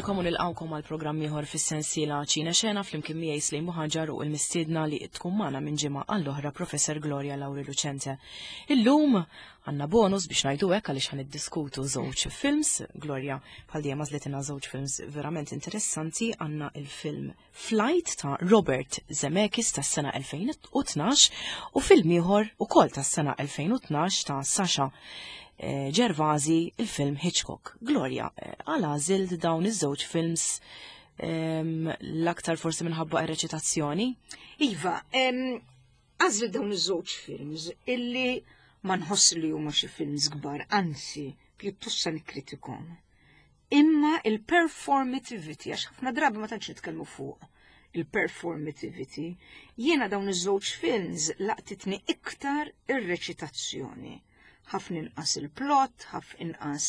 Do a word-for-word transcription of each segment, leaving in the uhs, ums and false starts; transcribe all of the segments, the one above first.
lilkom u nilqgħukom għal programm ieħor fis-sensiela Ċine Xena flimkien miegħi Slejn Muħaġar u l-mistiedna li tkun magħna minn ġimgħa għall-oħra Professor Gloria Lauri Lucente. Illum għandna bonus biex ngħidu hekk għaliex ħa niddiskutu żewġ films. Gloria bħal dejjem għażlitilna żewġ films verament interessanti. Għandna il-film Flight ta' Robert Zemeckis tas-sena elfejn u tnax u film ieħor ukoll tas-sena elfejn u tnax ta' Sasha eh, Gervasi, il-film Hitchcock. Gloria, eh, għala għażilt dawn iż-żewġ films em, l-aktar forsi minħabba ir-reċitazzjoni? Iva, għażilt dawn iż-żewġ films illi ma nħoss li huma xi films kbar, anzi, pjuttost sa nikkritikhom. Imma il-performativity, għax ħafna drabi ma tantx nitkellmu fuq il-performativity, jiena dawn iż-żewġ films laqtitni iktar ir-reċitazzjoni. Ħafna inqas il-plot, ħafna inqas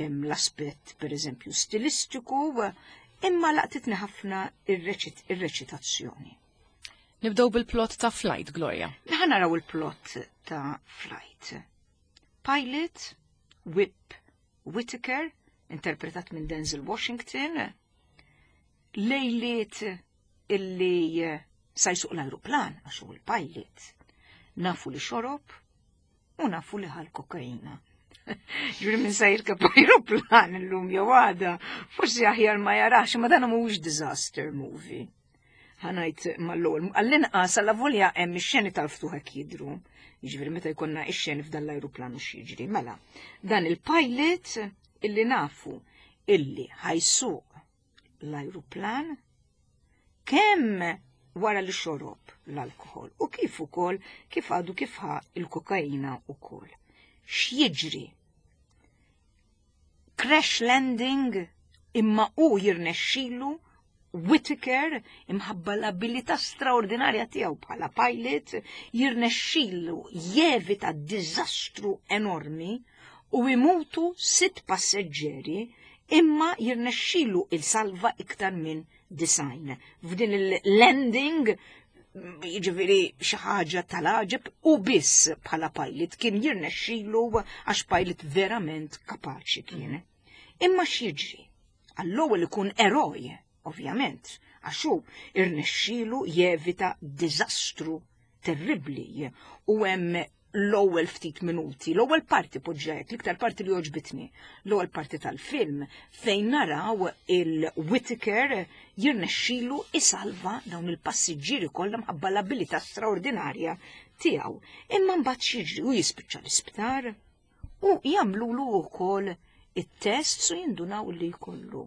l-aspett per eżempju stilistiku, imma laqtitni ħafna ir-reċitazzjoni. Nibdew bil-plot ta' Flight, Gloria. Ħa naraw il-plot ta' Flight. Pilot, Whip Whitaker, interpretat minn Denzel Washington, lejliet illi sa jsuq l-aeroplan, għax hu il-pilot. Nafu li xorob u nafu li ħa l-kokaina. Ġuri minn sa jirkeb aeroplan illum jew għada, forsi aħjar ma jarax, ma dan mhuwiex disaster movie. Ħa ngħid mal-ewwel, għall-inqas għalla volja hemm ix-xeni tal-ftuħ hekk jidru. Jiġifieri meta jkollna ix-xeni f'dan l-ajruplan u x'jiġri. Mela, dan il-pilot illi nafu illi ħa jsuq l-ajruplan kemm wara li xorob l-alkohol u kif ukoll kif għadu kif ħa il-kokaina ukoll. X'jiġri? Crash landing, imma u jirnexxilu Whitaker, imħabba l-abilità straordinarja tiegħu bħala pilot, jirnexxilu jevita diżastru enormi u imutu sitt passeġġeri, imma jirnexxilu jsalva iktar minn disgħin. F'din il-landing, jiġifieri xi ħaġa tal-għaġeb, u biss bħala pilot kien jirnexxilu, għax pilot verament kapaċi kien. Imma x'jiġri? Għall-ewwel ikun eroj, ovvjament, għax hu irnexxilu jevita diżastru terribli u hemm l-ewwel ftit minuti, l-ewwel parti poġġajt, l-iktar parti li għoġbitni, l-ewwel parti tal-film fejn naraw il-Whitaker jirnexxilu isalva dawn il-passiġġieri kollha mħabba l-abilità straordinarja tiegħu. Imma mbagħad x'jiġri? U jispiċċa l-isptar u jagħmlulu wkoll it-test u jindunaw li jkollu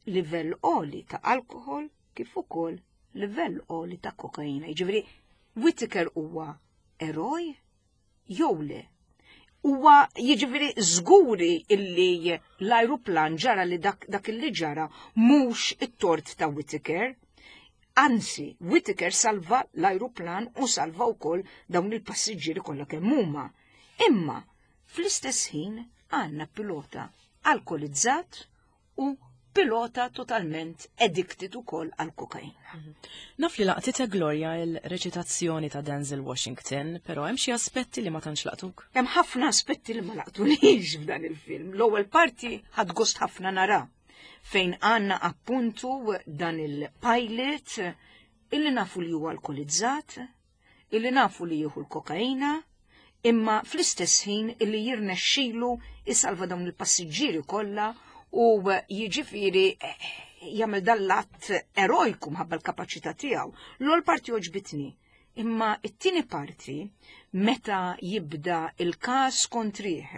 livell għoli ta' alkohol kif ukoll livell għoli ta' kokaina. Jiġifieri Whitaker huwa eroj jew le? Huwa jiġifieri żguri illi l-ajruplan ġara li dak, dak illi ġara mhux it-tort ta' Whitaker. Anzi, Whitaker salva l-ajruplan u salva wkoll dawn il-passiġġieri kollha kemm huma. Imma fl-istess ħin għandna pilota alkolizzat u pilota totalment addicted ukoll għal kokaina. Naf li laqtitek, Gloria, il-reċitazzjoni ta' Denzel Washington, però hemm xi aspetti li ma tantx laqtuk. Hemm ħafna aspetti li ma laqtunix f'dan il-film. L-ewwel parti ħadt gost ħafna nara fejn għandna appuntu dan il-pilot illi nafu li huwa alkolizzat, illi nafu li jieħu l-kokaina, imma fl-istess ħin illi jirnexxilu isalva dawn il-passiġġieri kollha u jiġifieri eh, jagħmel dal-att erojku mħabba l-kapaċità tiegħu. L-ewwel parti għoġbitni, imma it-tieni parti meta jibda il-każ kontrih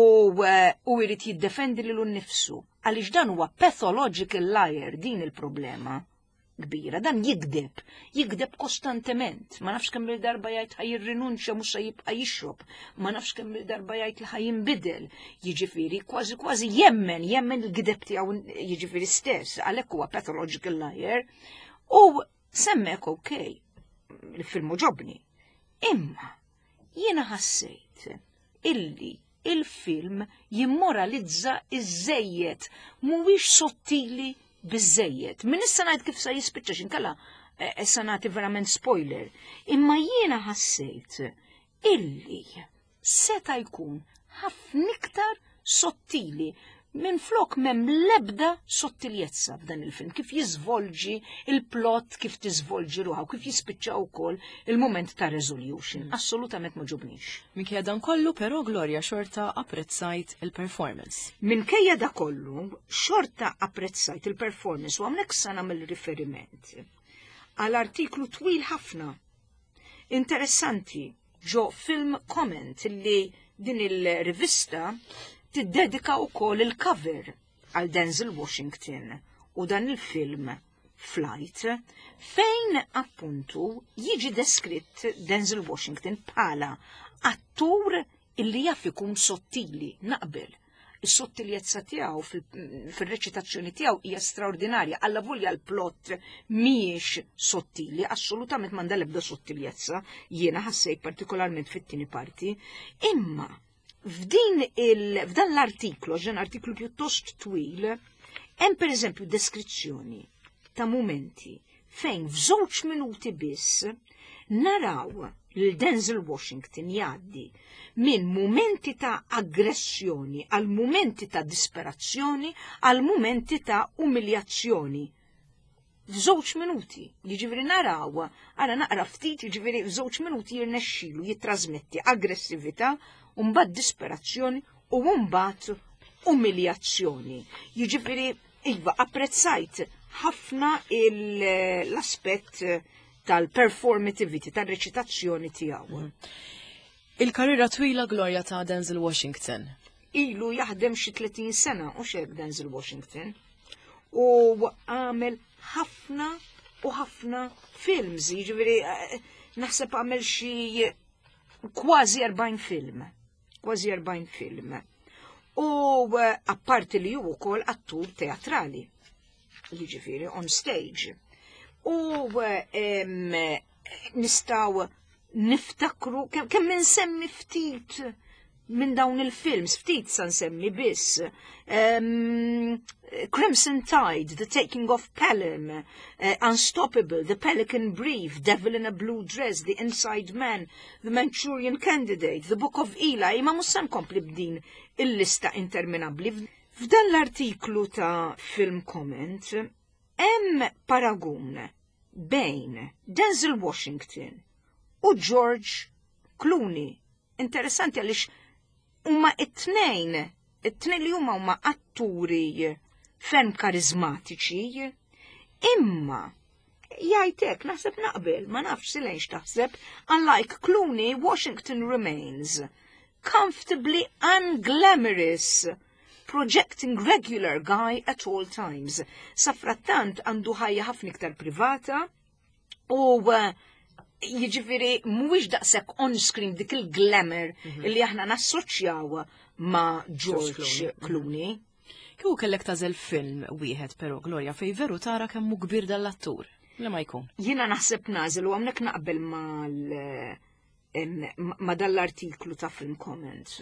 u eh, u jrid jiddefendi lilu nnifsu għaliex dan huwa pathological liar, din il-problema kbira, dan jigdeb, jigdeb kostantement, ma nafx kemm il-darba jgħid ħa jirrinunċja, mhux se jibqa' jixrob, ma nafx kemm il-darba jgħid li ħa jinbidel, jiġifieri kważi kważi jemmen, jemmen il-gideb tiegħu jiġifieri stess, għalhekk huwa pathological liar, u s'hemmhekk okej, il-film għoġobni. Imma jiena ħassejt illi il-film jimmoralizza iżżejjed, mhuwiex sottili biżejjed. Min issa ngħid kif sa jispiċċa xinkella eh, issa nagħti verament spoiler. Imma jiena ħassejt illi seta jkun ħafna iktar sottili. Minn flok m'hemm lebda sottiljezza f'dan il-film, kif jiżvolġi il-plot, kif tiżvolġi ruħha u kif jispiċċa wkoll il-moment ta' resolution. Mm. Assolutament ma għoġobnix. Minkejja dan kollu, però, Gloria, xorta apprezzajt il-performance. Minkejja da kollu, xorta apprezzajt il-performance u hawnhekk sa nagħmel riferiment għal artiklu twil ħafna, interessanti, ġo Film Comment, li din il-rivista tiddedika wkoll il-cover għal Denzel Washington u dan il-film Flight, fejn appuntu jiġi deskritt Denzel Washington bħala attur illi jaf ikun sottili. Naqbel. Is-sottiljezza tiegħu fil-reċitazzjoni tiegħu hija straordinarja, alla volja l-plot mhijiex sottili, assolutament m'għandha l-ebda sottiljezza, jiena ħassejt partikolarment fit-tieni parti, imma f'din il f'dan l-artiklu, ġen artiklu pjuttost twil, hemm pereżempju deskrizzjoni ta' momenti fejn f'żewġ minuti biss naraw lil Denzel Washington jgħaddi minn momenti ta' aggressjoni għal momenti ta' disperazzjoni għal momenti ta' umiljazzjoni. F'żewġ minuti, jiġifieri naraw, ara naqra ftit, jiġifieri f'żewġ minuti jirnexxilu jittrasmetti aggressività, u mbagħad disperazzjoni u mbagħad umiljazzjoni. Jiġifieri iva, apprezzajt ħafna l-aspett tal-performativity, tal-reċitazzjoni tiegħu. Mm. Il-karriera twila, Gloria, ta' Denzel Washington. Ilu jaħdem xi tletin sena u xek Denzel Washington. U għamel ħafna u ħafna films, jiġifieri eh, naħseb għamel xi kważi erbgħin film. Kważi erbgħin film. U eh, apparti li ju wkoll attur teatrali, jiġifieri on stage. U eh, nistgħu niftakru kemm insemmi ftit minn dawn il-films, ftit sa nsemmi biss. Um, Crimson Tide, The Taking of Pelham, uh, Unstoppable, The Pelican Brief, Devil in a Blue Dress, The Inside Man, The Manchurian Candidate, The Book of Eli, imma mhux sa nkompli b'din il-lista interminabli. F'dan l-artiklu ta' Film Comment, hemm paragun bejn Denzel Washington u George Clooney. Interessanti għaliex huma it-tnejn, it-tnejn li huma huma atturi ferm karizmatiċi, imma jgħidlek, naħseb naqbel, ma nafx silejn taħseb, unlike Clooney, Washington remains comfortably unglamorous, projecting regular guy at all times. Safrattant għandu ħajja ħafna iktar privata u uh, jiġifieri mhuwiex daqshekk on-screen dik il-glamour mm -hmm. li aħna nassoċjaw ma' George Clooney. Clooney. Kieku kellek tagħżel film wieħed però, Gloria, fej veru tara kemm hu kbir dal-attur. Li ma jkun? Jiena naħseb nagħżel u hawnhekk naqbel mal ma dal-artiklu ta' Film Comments.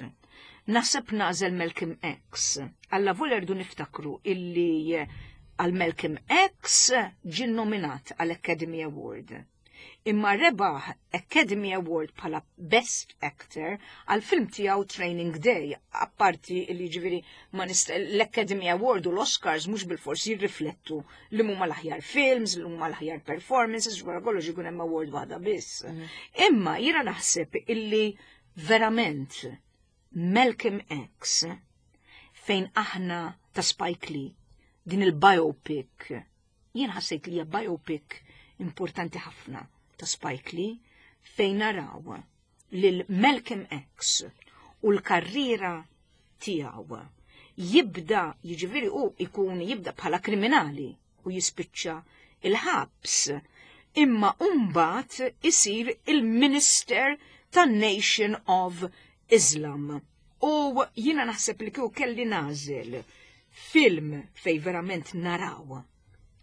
Naħseb nagħżel Malcolm X. Alla volja rridu niftakru illi għal Malcolm X ġie nominat għal Academy Award. Imma rebaħ Academy Award bħala Best Actor għal film tiegħu Training Day, apparti li ġifieri ma l-Academy Award u l-Oscars mhux bil-fors jirriflettu li huma l-aħjar films, li huma l-aħjar performances, wara kollox ikun hemm award waħda biss. Mhm. Imma jiena naħseb illi verament Malcolm X, fejn aħna ta' Spike Lee, din il-biopic, jien ħassejt li hija biopic importanti ħafna ta' Spike Lee, fejn naraw lil Malcolm X u l-karriera tiegħu jibda, jiġifieri u ikun jibda bħala kriminali u jispiċċa il-ħabs, imma mbagħad isir il-Minister tan-Nation of Islam. U jiena naħseb li kieku kelli nagħżel film fej verament naraw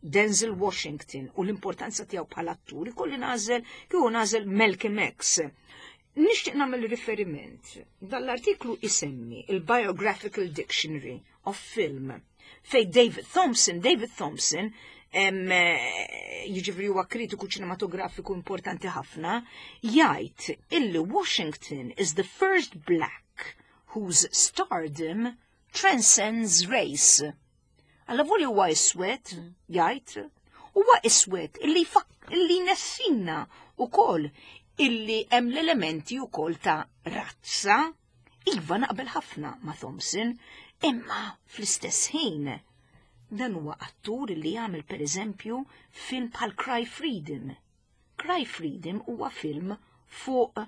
Denzel Washington u l-importanza tiegħu bħala attur, ikolli nagħżel kieku nagħżel Malcolm X. Nixtieq nagħmel riferiment. Dal-artiklu isemmi il-Biographical Dictionary of Film fej David Thompson, David Thompson jiġifieri huwa kritiku ċinematografiku importanti ħafna, jgħid illi Washington is the first black whose stardom transcends race. Allavolja huwa iswed, jgħid, huwa iswed illi illi nessina ukoll illi hemm l-elementi ukoll ta' razza. Iva, naqbel ħafna ma' Thompson, imma fl-istess ħin dan huwa attur li jagħmel, pereżempju, film bħal Cry Freedom. Cry Freedom huwa film fuq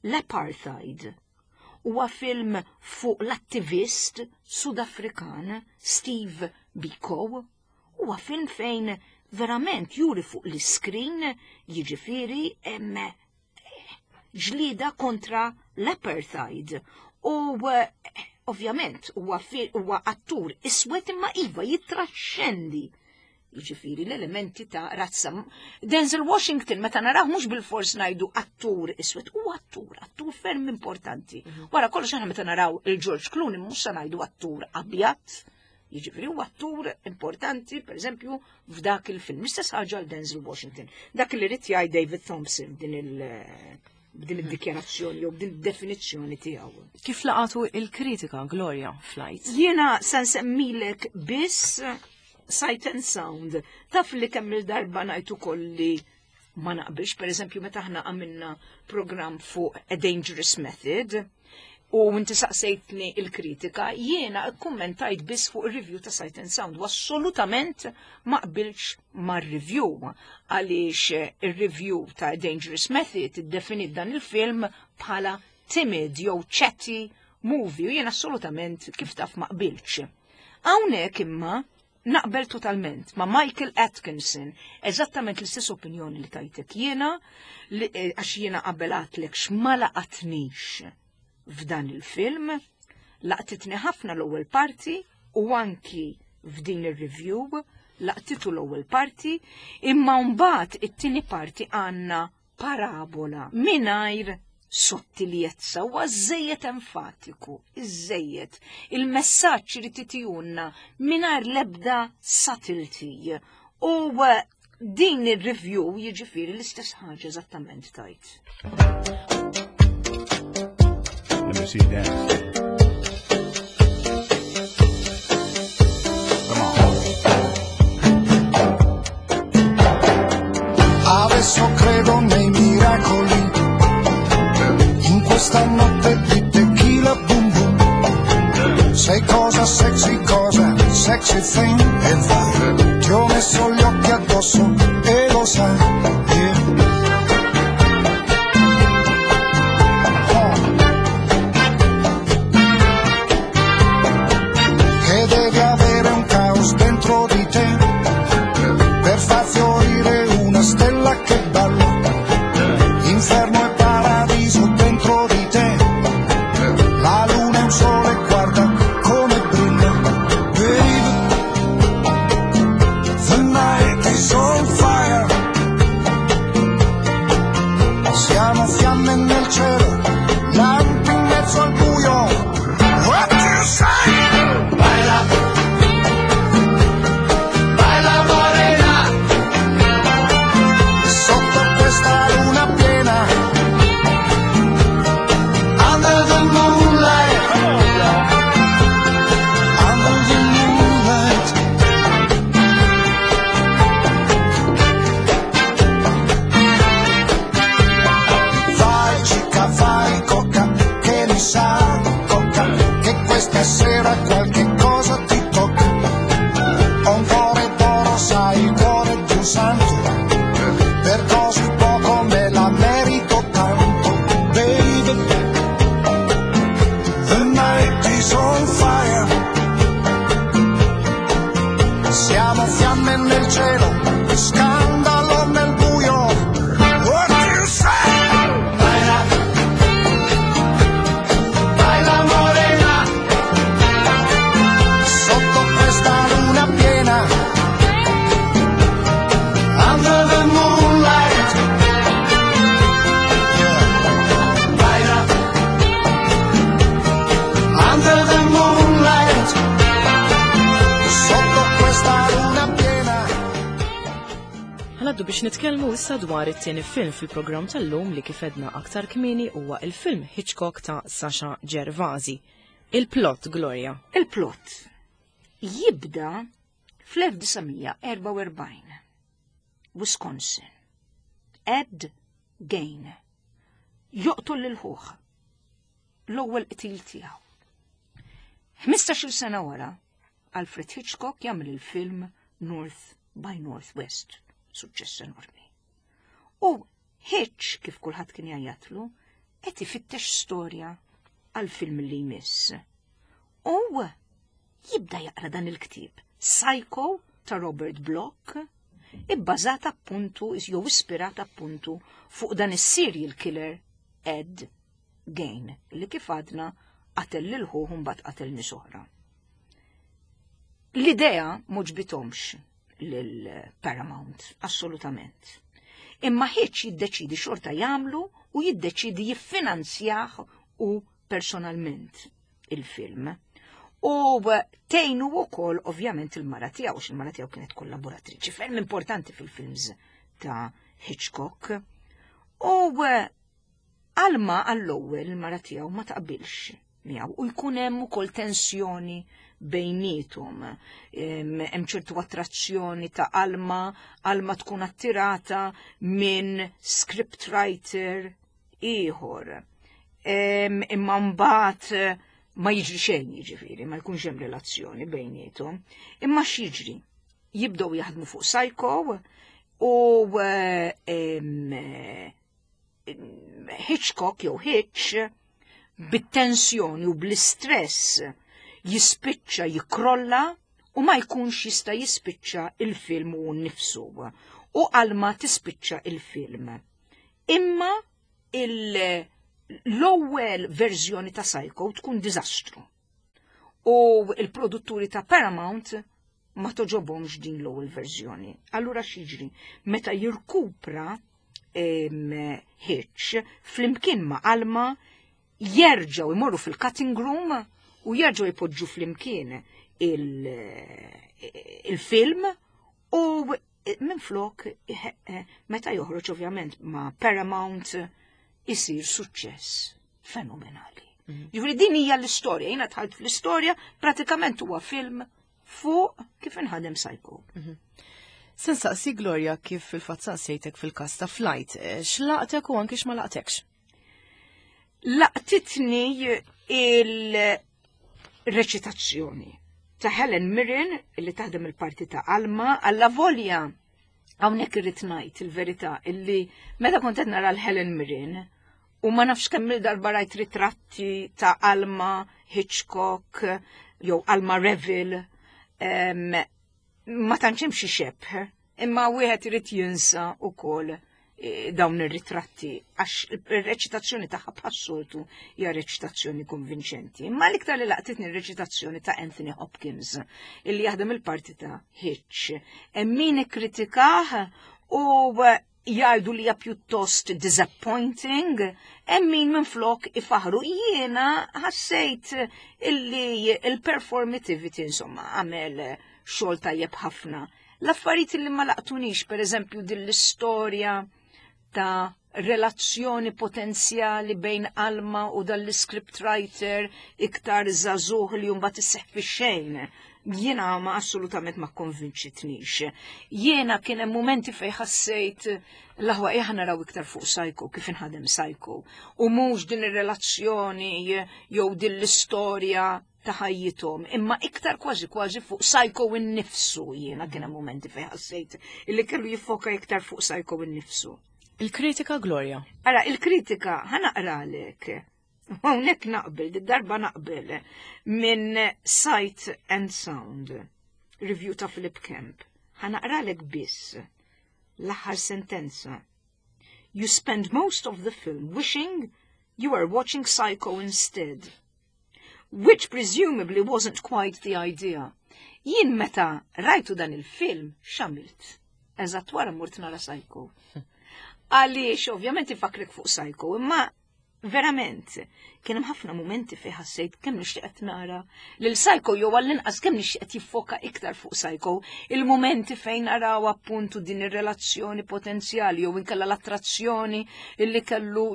l-apartheid. Huwa film fuq l-attivist Sudafrikan Steve Biko. Huwa film fejn verament juri fuq l-iskrin, jiġifieri, hemm ġlida kontra l-apartheid. U eh, ovvjament huwa huwa attur iswed, imma iva, jitraxxendi, jiġifieri, l-elementi ta' razza. Denzel Washington, meta naraw, mhux bil-fors ngħidu attur iswed, u attur, attur ferm importanti. Mhm. Wara kollox, aħna meta naraw il-George Clooney mhux se ngħidu attur abjad, jiġifieri huwa attur importanti, pereżempju, f'dak il-film. Istess ħaġa l Denzel Washington. Dak li ried jgħid David Thompson din il- b'din id-dikjarazzjoni jew b'din id-definizzjoni tiegħu. Kif laqatu il-kritika, Gloria, Flight? Jiena se nsemmilek biss Sight and Sound. Taf li kemm il-darba ngħid ukoll li ma naqbilx, per eżempju, meta aħna għamilna program fuq A Dangerous Method, u inti saqsejtni il-kritika, jiena kommentajt biss fuq il-review ta' Sight and Sound u assolutament ma qbilx mar-review, għaliex il-review ta' Dangerous Method iddefinit dan il-film bħala timid jew chatty movie u jiena assolutament, kif taf, ma qbilx. Hawnhekk imma naqbel totalment ma' Michael Atkinson, eżattament l-istess opinjoni li tajtek jiena, eh, għax jiena qabel għedtlek x'ma laqatnix f'dan il-film, laqtitni ħafna l-ewwel parti u anki f'din ir-review laqtitu l-ewwel parti, imma mbagħad it-tieni parti għandna parabola mingħajr sottiljezza, u żejjed enfatiku, iżżejjed. Il-messaġġ irid itihulna mingħajr l-ebda subtlety. U eh, din ir-review, jiġifieri, l-istess ħaġa eżattament tajt. Let me see you dance. Come on. Adesso credo nei miracoli. In questa notte di tequila boom boom. Sei cosa sexy, cosa sexy thing e vai. Ti ho messo gli occhi addosso e lo sai. Yeah. Oh. Che devi avere un caos dentro di te per far fiorire una stella che balla. Inferno e paradiso dentro di te. La luna è un sole, guarda come brilla. Baby, the night is on fire. Siamo fiamme nel cielo, lampi in mezzo al buio. What you say? Baila, baila morena, sotto questa luna piena. Under the moonlight, under the moonlight. Vai chica, vai coca, che mi sa di coca, che questa sera qualche cosa ti tocca. Ho un cuore d'oro, sai, il cuore di un santo, per così poco me la merito tanto, baby. The night is on fire. Siamo fiamme nel cielo, scandalo nel buio. What you say? Baila, baila morena, sotto questa luna piena. Under the moonlight. Yeah. Baila, under the moonlight. Sotto questa luna piena. Ħa ngħaddu biex nitkellmu issa dwar it-tieni film fil-programm tal-lum li, kif għedna aktar kmieni, huwa il-film Hitchcock ta' Sasha Gervasi. Il-plot, Gloria. Il-plot jibda fl-elf disa' mija erbgħa u erbgħin. Wisconsin. Ed Gein joqtol lil ħuh, l-ewwel qtil tiegħu. ħmistax-il sena wara, Alfred Hitchcock jagħmel il-film North by Northwest, suċċess enormi. U Hitch, kif kulħadd kien jgħajjatlu, qed ifittex storja għal film li jmiss. U jibda jaqra dan il-ktieb, Psycho ta' Robert Bloch, ibbażata appuntu, jew ispirata appuntu fuq dan is-serial killer Ed Gein, li kif għadna qatel lil ħuh, mbagħad qatel nies oħra. L-idea m'għoġbithomx lil Paramount, assolutament. Imma Hitch jiddeċidi xorta jagħmlu u jiddeċidi jiffinanzjah u personalment il-film. U tgħinu wkoll ovvjament il-mara tiegħu, għax il-mara tiegħu kienet kollaboratriċi ferm importanti fil-films ta' Hitchcock. U Alma għall-ewwel, il-mara tiegħu, ma taqbilx miegħu u jkun hemm ukoll tensjoni bejniethom. Hemm ċertu attrazzjoni ta' Alma, Alma tkun attirata minn scriptwriter ieħor. Imma mbagħad ma jiġri xejn, jiġifieri, ma jkunx hemm relazzjoni bejniethom. Imma x'jiġri? Jibdew jaħdmu fuq Psycho u Hitchcock jew Hitch bit-tensjoni u bl-istress jispiċċa jikrolla u ma jkunx jista' jispiċċa il-film u nnifsu. U Alma tispiċċa il-film. Imma l-ewwel verżjoni ta' Psycho tkun diżastru. U il-produtturi ta' Paramount ma togħġobhomx din l-ewwel verżjoni. Allura x'jiġri? Meta jirkupra Hitch flimkien ma' Alma, jerġgħu imorru fil-cutting room u jerġgħu jpoġġu flimkien il-film u minn flok meta joħroġ ovvjament ma' Paramount isir suċċess fenomenali. Mhm. Ġifieri din hija l-istorja, jiena dħalt fl-istorja, pratikament huwa film fuq kif inħadem Psycho. Mhm. Se nsaqsi, Gloria, kif fil-fatt saqsejtek fil-kas ta' Flight, eh, x'laqtek u anki x'ma laqtekx? Laqtitni il-reċitazzjoni ta' Helen Mirren li taħdem il-parti ta' Alma, alla volja hawnhekk irrid ngħid il-verità illi meta kont qed nara l-Helen Mirren u ma nafx kemm il-darba rajt ritratti ta' Alma Hitchcock jew Alma Reville, ma tantx hemm xi xebh, imma wieħed irid jinsa wkoll eh, dawn ir-ritratti għax ir-reċitazzjoni tagħha bħas-soltu hija reċitazzjoni konvinċenti. Imma l-iktar li laqtitni r-reċitazzjoni ta' Anthony Hopkins illi jaħdem il-parti ta' Hitch. Hemm min ikkritikah u jgħidu li hija pjuttost disappointing, hemm min minflok ifaħru. Jiena ħassejt illi il-performativity, insomma, għamel xogħol tajjeb ħafna. L-affarijiet li ma laqtunix, per eżempju, din l-istorja ta' relazzjoni potenzjali bejn Alma u dal-scriptwriter iktar żagħżugħ li mbagħad isseħ fi xejn. Jiena ma assolutament ma konvinċitnix. Jiena kien hemm momenti fej ħassejt l-aħwa ejja naraw iktar fuq Psycho, kif inħadem Psycho. U mhux din ir-relazzjoni jew din l-istorja ta' ħajjithom, imma iktar kważi kważi fuq Psycho innifsu. Jiena kien hemm momenti fejn ħassejt illi kellu jiffoka iktar fuq Psycho innifsu. Il-kritika, Gloria. Ara, il-kritika, ħa naqralek. Hawnhekk naqbel, darba naqbel, minn Sight and Sound, review ta' Philip Kemp. Ħa naqralek biss l-aħħar sentenza. "You spend most of the film wishing you were watching Psycho instead. Which presumably wasn't quite the idea." Jien meta rajtu dan il-film, x'għamilt? Eżatt wara mort nara Psycho. Għaliex, ovvjament ifakrek fuq Psycho, imma Verament, kien hemm ħafna mumenti fejn ħassejt kemm nixtieq qed nara lil Psycho, jew għall-inqas kemm nixtieq qed jiffoka iktar fuq Psycho, il-mumenti fejn naraw appuntu din ir-relazzjoni potenzjali jew inkella l-attrazzjoni illi kellu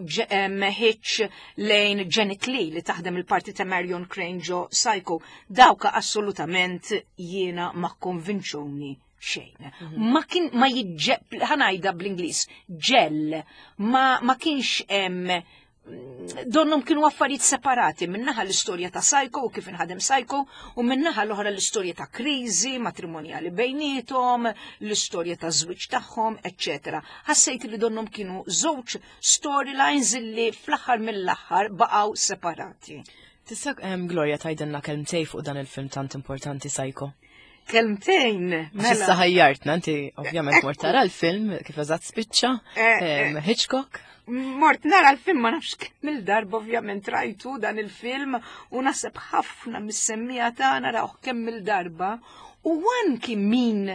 Hitch lejn Janet Leigh li taħdem il-parti ta' Marion Crane ġo Psycho. Dawka assolutament jiena ma konvinċuni xejn. Mhm. Ma kien ma jiġġeb, ħa ngħidha bl-Ingliż, gel, ma, ma kienx hemm, donnhom kienu affarijiet separati, minnaħa l-istorja ta' Psycho u kif inħadem Psycho u minnaħa l-oħra l-istorja ta' kriżi matrimonjali bejnietom, l-istorja ta' żwieġ tagħhom, eċċetera. Ħassejt li donnhom kienu żewġ storylines li fl-aħħar mill-aħħar baqgħu separati. Tista', Gloria, tgħidilna kelmtejn fuq dan il-film tant importanti, Psycho? Kelmtejn. Mela. Issa ħajjartna, inti ovvjament mort tara l-film kif eżatt spiċċa, eh, eh, Hitchcock. Mort nara l-film ma nafx kemm il-darba, ovvjament rajtu dan il-film u naħseb ħafna mis-semmiegħa tagħna rawh kemm il-darba u anki min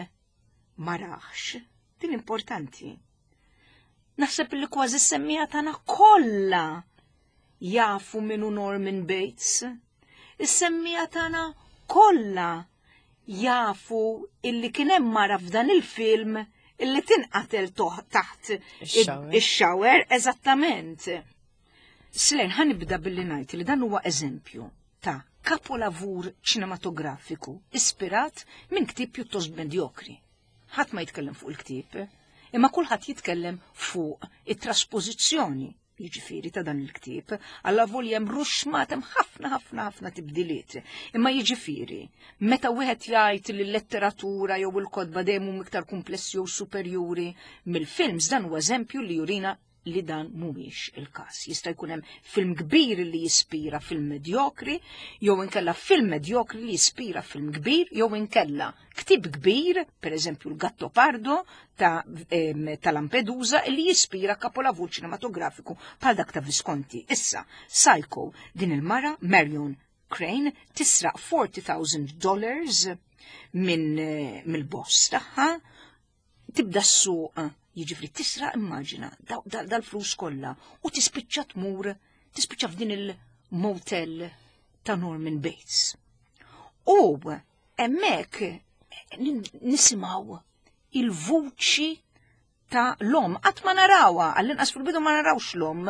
ma rahx, din importanti. Naħseb li kważi s-semmiegħa tagħna kollha jafu min hu Norman Bates. Is-semmiegħa tagħna kollha jafu illi kien hemm mara f'dan il-film illi tinqatel taħt ix-shower, eżattament. Slen, ħa nibda billi ngħid li dan huwa eżempju ta' kapolavur ċinematografiku ispirat minn ktieb pjuttost medjokri. Ħadd ma jitkellem fuq il-ktieb, imma kulħadd jitkellem fuq it-traspożizzjoni, jiġifieri, ta' dan il-ktieb, għalla hemm ruxxmat, hemm ħafna ħafna ħafna tibdiliet. Imma jiġifieri, meta wieħed jgħid li l-letteratura jew il-kotba dejjem huma iktar komplessi jew superjuri mill-films, dan huwa eżempju li jurina li dan mhuwiex il-każ. Jista' jkun hemm film kbir li jispira film medjokri, jew inkella film medjokri li jispira film kbir, jew inkella ktib kbir, per eżempju l-Gattopardo ta', ta Lampedusa, li jispira kapolavur ċinematografiku bħal dak ta' Visconti. Issa, Psycho, din il-mara, Marion Crane, tisraq forty thousand dollars minn eh, mill-boss tagħha, tibda s-suq, jiġifieri tisraq, immaġina, dal-flus kollha u tispiċċa tmur, tispiċċa f'din il-motel ta' Norman Bates. U hemmhekk nisimgħu il-vuċi ta' l-omm, qatt ma narawha, għall-inqas fil-bidu ma narawx l-omm,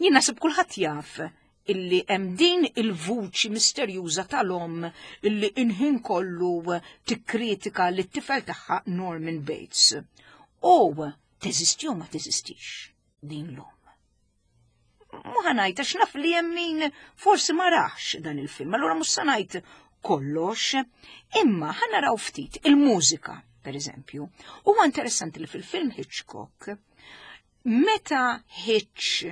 jien naħseb kulħadd jaf illi hemm din il-vuċi misterjuża tal-omm illi inħin kollu tikkritika lit-tifel tagħha Norman Bates. U teżisti u ma teżistix din l-omm. Mhu ħa ngħid għax naf li hemm min forsi ma rax dan il-film, allura mhux se ngħid kollox, imma ħa naraw ftit il-mużika, per eżempju. Huwa interessanti li fil-film Hitchcock, meta Hitch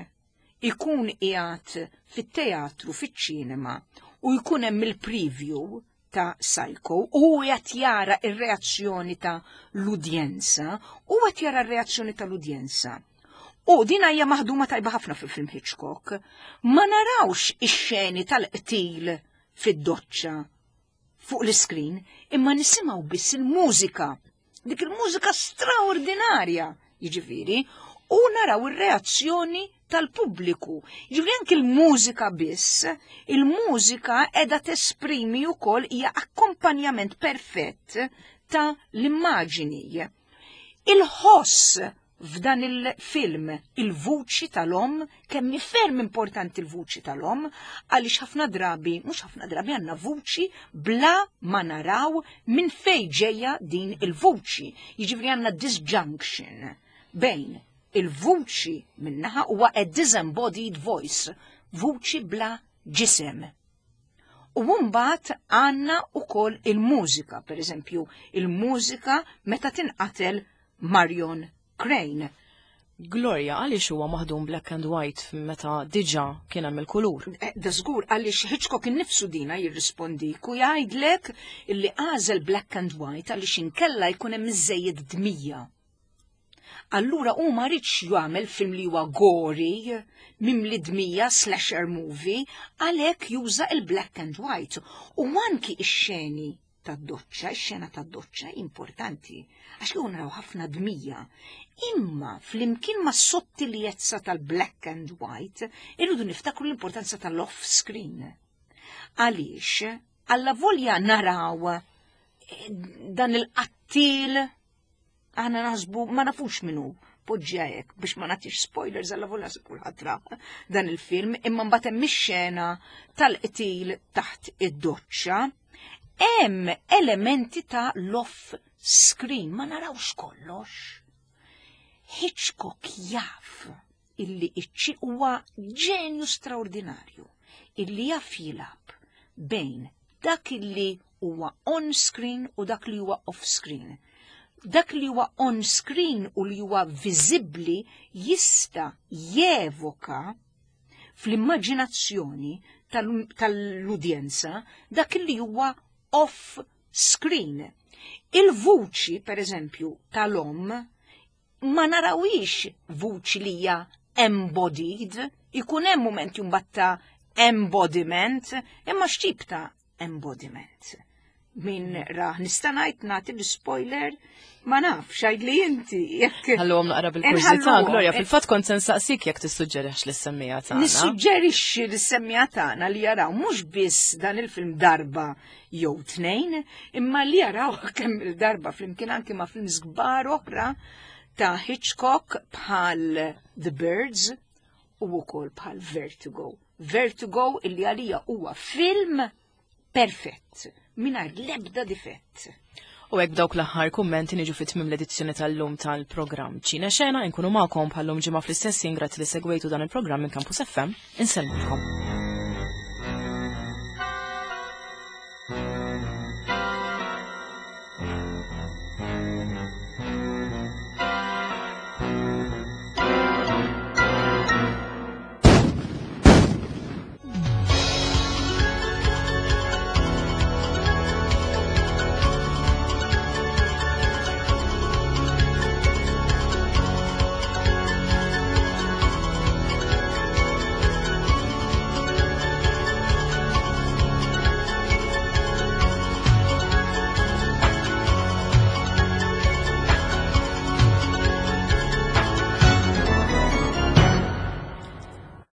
ikun qiegħed fit-teatru, fiċ-ċinema, u jkun hemm il-preview ta' Psycho u qed jara ir-reazzjoni ta' l-udjenza, u qed jara r-reazzjoni tal-udjenza. U din hija maħduma tajba ħafna fil-film Hitchcock. Ma narawx ix-xeni tal-qtil fid-doċċa fuq l-iskrin, imma nisimgħu biss il-mużika. Dik il-mużika straordinarja, jiġifieri, u naraw ir-reazzjoni tal-pubbliku. Jiġifieri anki il-mużika biss, il-mużika qiegħda tesprimi wkoll, hija akkompanjament perfett ta' l-immaġini. Il-ħoss f'dan il-film, il-vuċi tal-omm, kemm ferm importanti il-vuċi tal-omm, għaliex ħafna drabi, mhux ħafna drabi, għandna vuċi bla ma naraw minn fej ġejja din il-vuċi. Jiġifieri għandna disjunction bejn il-vuċi minnaħa, huwa a disembodied voice, vuċi bla ġisem. U mbagħad għandna ukoll il-mużika, per eżempju, il-mużika meta tinqatel Marion Crane. Gloria, għaliex huwa maħdum black and white meta diġà kien hemm il-kulur? Eh, Da żgur, għaliex Hitchcock innifsu dina jirrispondik u jgħidlek illi għażel black and white għaliex inkella jkun hemm iżejjed dmija. Allura hu ma riedx jagħmel film li huwa gory, mimli dmija, slasher movie, għalhekk juża il-black and white. U anki ix-xeni Tad-doċċa, ix-xena tad-doċċa importanti, għax kieku naraw ħafna dmija. Imma flimkien ma' sottiljezza tal-black and white, irridu niftakru l-importanza tal-off screen. Għaliex, alla volja naraw eh, dan il-qattil, aħna naħsbu ma nafux minnu, poġġja hekk biex ma nagħtix spoilers, alla volja se kulħadd ra dan il-film, imma mbagħad hemm ix-xena tal-qtil taħt id-doċċa, hemm elementi ta' l-off screen, ma narawx kollox. Hitchcock jaf illi iċċi huwa ġenju straordinarju illi jaf jilgħab bejn dak illi huwa on screen u dak li huwa off screen. Dak li huwa on screen u li huwa viżibbli jista' jevoka fl-immaġinazzjoni tal-udjenza dak li huwa off screen. Il-vuċi, per eżempju, tal-om, ma narawix vuċi li hija embodied, ikun hemm moment jumbatta embodiment, imma x'tip ta' embodiment? Min raħ nista' ngħid, nagħti l-spoiler, ma nafx, għid li inti jekk. Ħalluhom naqra bil-kurżità, Gloria, fil-fatt kont se nsaqsik jekk tissuġġerix lis-semmiegħa tagħna. Nissuġġerixxi lis-semmiegħa tagħna li jaraw mhux biss dan il-film darba jew tnejn, imma li jaraw kemm il-darba flimkien anke ma' films kbar oħra ta' Hitchcock bħal The Birds u wkoll bħal Vertigo. Vertigo illi għalija huwa film perfett, mingħajr l-ebda difett. U hekk b'dawk l-aħħar kummenti niġu fit tmim l-edizzjoni tal-lum tal-programm Ċine Xena. Inkunu magħkom bħal-lum ġimgħa fl-istess. Grazzi li segwejtu dan il-programm minn Campus F M. Insellmulkom.